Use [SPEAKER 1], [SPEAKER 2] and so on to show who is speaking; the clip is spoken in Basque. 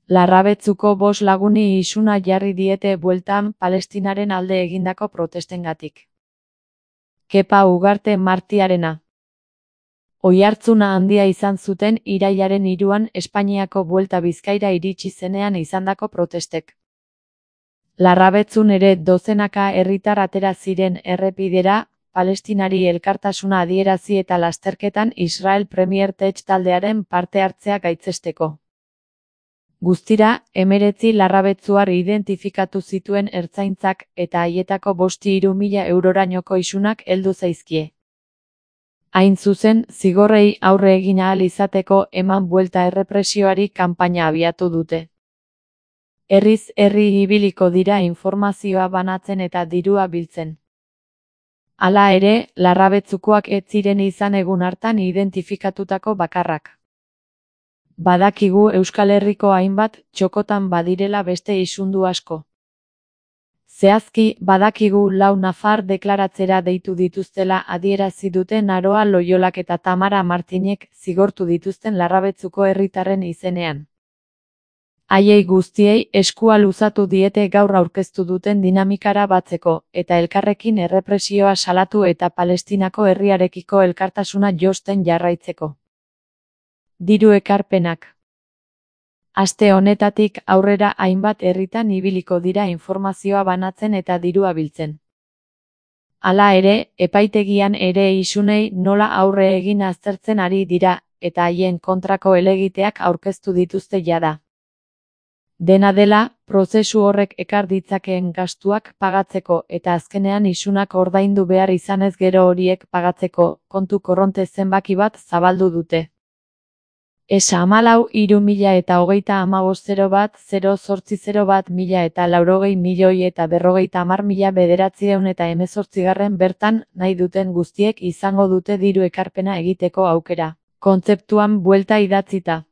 [SPEAKER 1] Larrabetzuko 5 laguni isuna jarri diete bueltan Palestinaren alde egindako protestengatik. Kepa Ugarte Martiarena. Oihartzuna handia izan zuten irailaren 3an Espainiako Buelta Bizkaira iritsi zenean izandako protestek. Larrabetzun ere dozenaka herritar atera ziren errepidera, Palestinari elkartasuna adierazi eta lasterketan Israel Premier Tech taldearen parte hartzea gaitzesteko. Guztira, 19 larrabetzuar identifikatu zituen ertzaintzak eta haietako 5.000 eurorainoko isunak heldu zaizkie. Hain zuzen, zigorrei aurre egin ahal izateko eman buelta errepresioari kanpaina abiatu dute. Herriz herri ibiliko dira informazioa banatzen eta dirua biltzen. Hala ere, larrabetzukoak ez ziren izan egun hartan identifikatutako bakarrak. Badakigu Euskal Herriko hainbat txokotan badirela beste isundu asko. Zehazki, badakigu 4 nafar deklaratzera deitu dituztela adierazi duten Aroa Loiolak eta Tamara Martinek zigortu dituzten larrabetzuko herritarren izenean. Haiei guztiei eskua luzatu diete gaur aurkeztu duten dinamikara batzeko, eta elkarrekin errepresioa salatu eta Palestinako herriarekiko elkartasuna josten jarraitzeko. Diru ekarpenak. Aste honetatik aurrera hainbat herritan ibiliko dira informazioa banatzen eta dirua biltzen. Hala ere, epaitegian ere isunei nola aurre egin aztertzen ari dira, eta haien kontrako helegiteak aurkeztu dituzte jada. Dena dela, prozesu horrek ekar ditzakeen gastuak pagatzeko eta azkenean isunak ordaindu behar izanez gero horiek pagatzeko kontu korronte zenbaki bat zabaldu dute. ESA 14.005.001.080.000 bertan nahi duten guztiek izango dute diru ekarpena egiteko aukera, kontzeptuan buelta idatzita.